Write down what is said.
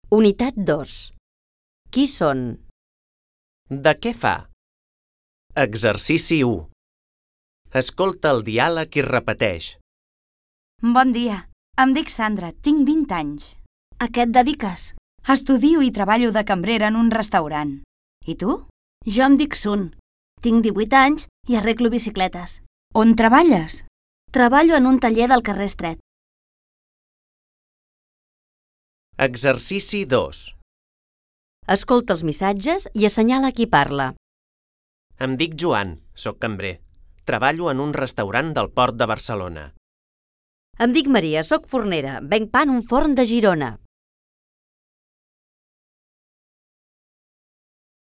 Unitat 2. Qui són? De què fa? Exercici 1. Escolta el diàleg i repeteix. Bon dia, em dic Sandra, tinc 20 anys. A què et dediques? Estudio i treballo de cambrera en un restaurant. I tu? Jo em dic Sun. Tinc 18 anys i arreglo bicicletes. On treballes? Treballo en un taller del carrer Estret. Exercici 2. Escolta els missatges i assenyala qui parla. Em dic Joan, soc cambrer. Treballo en un restaurant del Port de Barcelona. Em dic Maria, soc fornera, venc pa en un forn de Girona.